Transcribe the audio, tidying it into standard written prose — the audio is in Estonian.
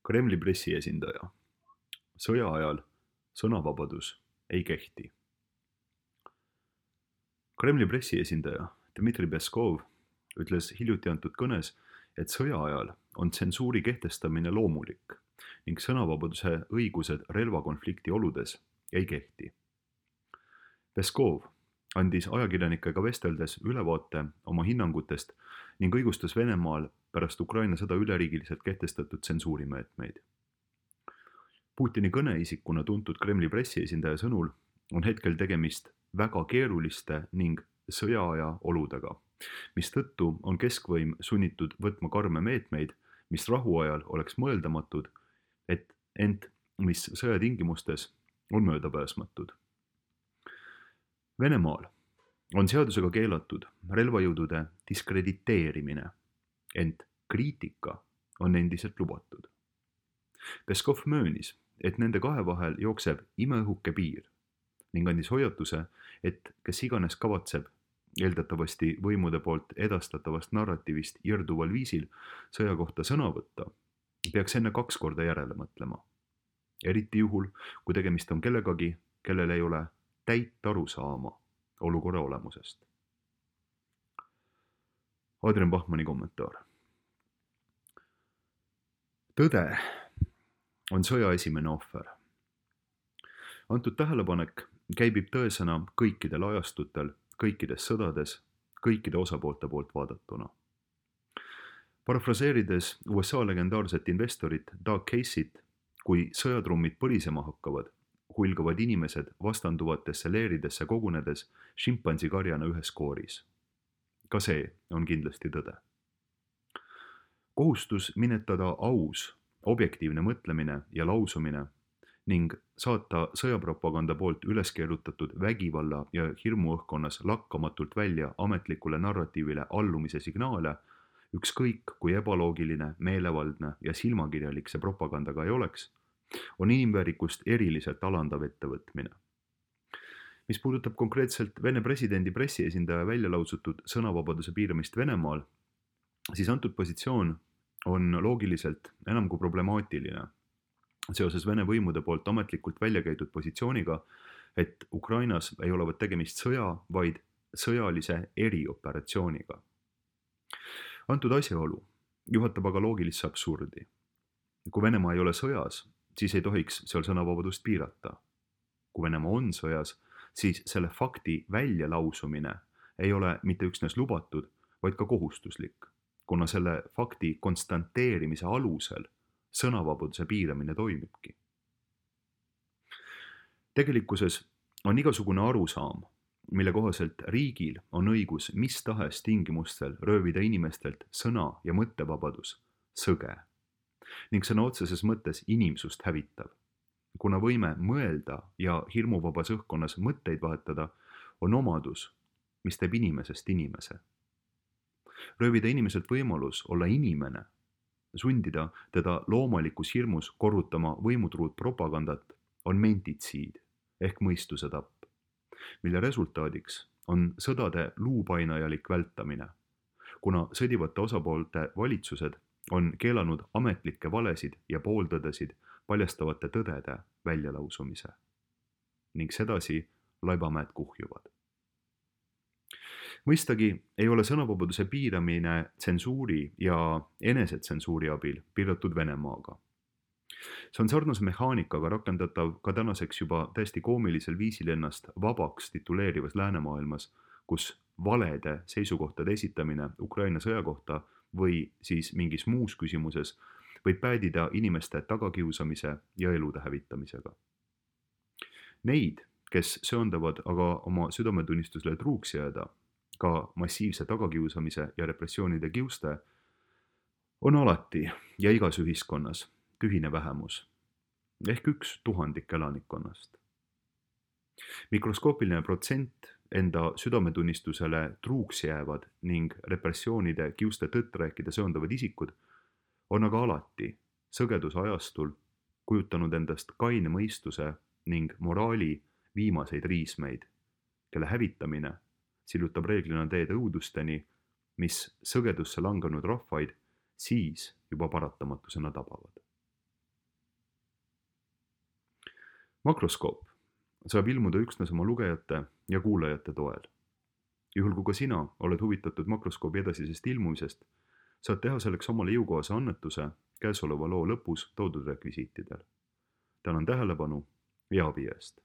Kremli pressiesindaja. Sõja ajal sõnavabadus ei kehti. Kremli pressiesindaja Dmitri Peskov ütles hiljuti antud kõnes, et sõja ajal on tsensuuri kehtestamine loomulik ning sõnavabaduse õigused relvakonflikti oludes ei kehti. Peskov andis ajakirjanikega vesteldes ülevaate oma hinnangutest ning õigustas Venemaal pärast Ukraina sõda üleriigiliselt kehtestatud tsensuurimeetmeid. Putini kõneisikuna tuntud Kremli pressiesindaja sõnul on hetkel tegemist väga keeruliste ning sõjaaja oludega, mistõttu on keskvõim sunnitud võtma karme meetmeid, mis rahuajal oleks mõeldamatud, ent mis sõjatingimustes on möödapääsmatud. Venemaal on seadusega keelatud relvajõudude diskrediteerimine, ent kriitika on endiselt lubatud. Peskov möönis, et nende kahe vahel jookseb imeõhuke piir ning andis hoiatuse, et kes iganes kavatseb eeldatavasti võimude poolt edastatavast narratiivist irduval viisil sõja kohta sõna võtta, peaks enne 2 korda järele mõtlema. Eriti juhul, kui tegemist on kellegagi, kellel ei ole täit arusaama olukorra olemusest. Adrian Bachmanni kommentaar. Tõde on sõja esimene ohver. Antud tähelepanek käibib tõesõna kõikidel ajastutel, kõikides sõdades, kõikide osapoolte poolt vaadatuna. Parafraseerides USA legendaarset investorit Doug Casey't, kui sõjatrummid põlisema hakkavad, hulgavad inimesed vastanduvatesse leeridesse kogunedes šimpansikarjana ühes kooris. Ka see on kindlasti tõde. Kohustus minetada aus, objektiivne mõtlemine ja lausumine ning saata sõjapropaganda poolt üles keerutatud vägivalla ja hirmuõhkkonnas lakkamatult välja ametlikule narratiivile allumise signaale, ükskõik kui ebaloogiline, meelevaldne ja silmakirjalik see propagandaga ei oleks, on inimväärikust eriliselt alandav ettevõtmine. Mis puudutab konkreetselt Vene presidendi pressiesindaja välja lausutud sõnavabaduse piiramist Venemaal, siis antud positsioon on loogiliselt enam kui problemaatiline seoses Vene võimude poolt ametlikult välja käidud positsiooniga, et Ukrainas ei olevat tegemist sõja, vaid sõjalise erioperatsiooniga. Antud asjaolu juhatab aga loogilisse absurdi. Kui Venemaa ei ole sõjas, siis ei tohiks seal sõnavabadust piirata. Kui Venemaa on sõjas, siis selle fakti väljalausumine ei ole mitte üksnes lubatud, vaid ka kohustuslik, kuna selle fakti konstanteerimise alusel sõnavabaduse piiramine toimibki. Tegelikkuses on igasugune arusaam, mille kohaselt riigil on õigus mis tahes tingimustel röövida inimestelt sõna- ja mõttevabadus, sõge ning sõna otseses mõttes inimsust hävitav. Kuna võime mõelda ja hirmuvabas õhkkonnas mõtteid vahetada on omadus, mis teeb inimesest inimese. Röövida inimeselt võimalus olla inimene, sundida teda loomalikus hirmus korrutama võimutruud propagandat on mentitsiid ehk mõistuse tapp, mille resultaadiks on sõdade luupainajalik vältamine, kuna sõdivate osapoolte valitsused on keelanud ametlikke valesid ja pooltõdesid paljastavate tõdede väljalausumise ning sedasi laibamäed kuhjuvad. Mõistagi ei ole sõnavabaduse piiramine tsensuuri ja enesetsensuuri abil piiratud Venemaaga. See on sarnase mehaanikaga rakendatav ka tänaseks juba täiesti koomilisel viisil ennast vabaks tituleerivas läänemaailmas, kus valede seisukohtade esitamine Ukraina sõja kohta või siis mingis muus küsimuses võib päädida inimeste tagakiusamise ja elude hävitamisega. Neid, kes söandavad aga oma südametunnistusele truuks jääda, ka massiivse tagakiusamise ja repressioonide kiuste, on alati ja igas ühiskonnas tühine vähemus, ehk 1/1000 elanikkonnast. Mikroskoopiline protsent enda südametunnistusele truuks jäävad ning repressioonide kiuste tõtt rääkida söandavad isikud on aga alati sõgeduse ajastul kujutanud endast kaine mõistuse ning moraali viimaseid riismeid, kelle hävitamine sillutab reeglina teed õudusteni, mis sõgedusse langenud rahvaid siis juba paratamatusena tabavad. makroskoop saab ilmuda üksnes oma lugejate ja kuulajate toel. Juhul kui ka sina oled huvitatud makroskoobi edasisest ilmumisest, saad teha selleks omale jõukohase annetuse käesoleva loo lõpus toodud rekvisiitidel. Tänan tähelepanu ja abi eest!